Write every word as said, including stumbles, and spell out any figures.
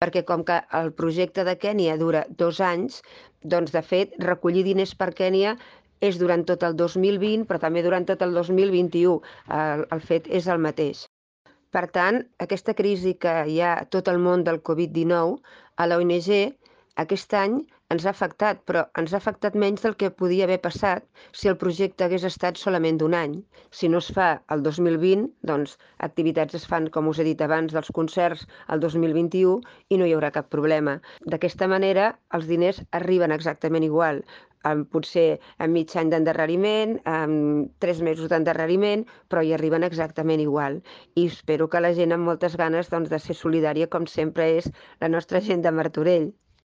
perquè com que el projecte de Kènia dura dos anys, doncs de fet recollir diners per Kènia és durant tot el dos mil vint, però també durant tot el dos mil vint-i-u. El, el fet és el mateix. Per tant, aquesta crisi que hi ha a tot el món del Covid dinou, a la O N G aquest any ens ha afectat, però ens ha afectat menys del que podia haver passat si el projecte hagués estat solament d'un any. Si no es fa el dos mil vint, doncs activitats es fan, com us he dit abans, dels concerts el dos mil vint-i-u i no hi haurà cap problema. D'aquesta manera, els diners arriben exactament igual, amb potser amb mig any d'endarreriment, amb tres mesos d'endarreriment, però hi arriben exactament igual. I espero que la gent amb moltes ganes doncs, de ser solidària, com sempre és la nostra gent de Martorell.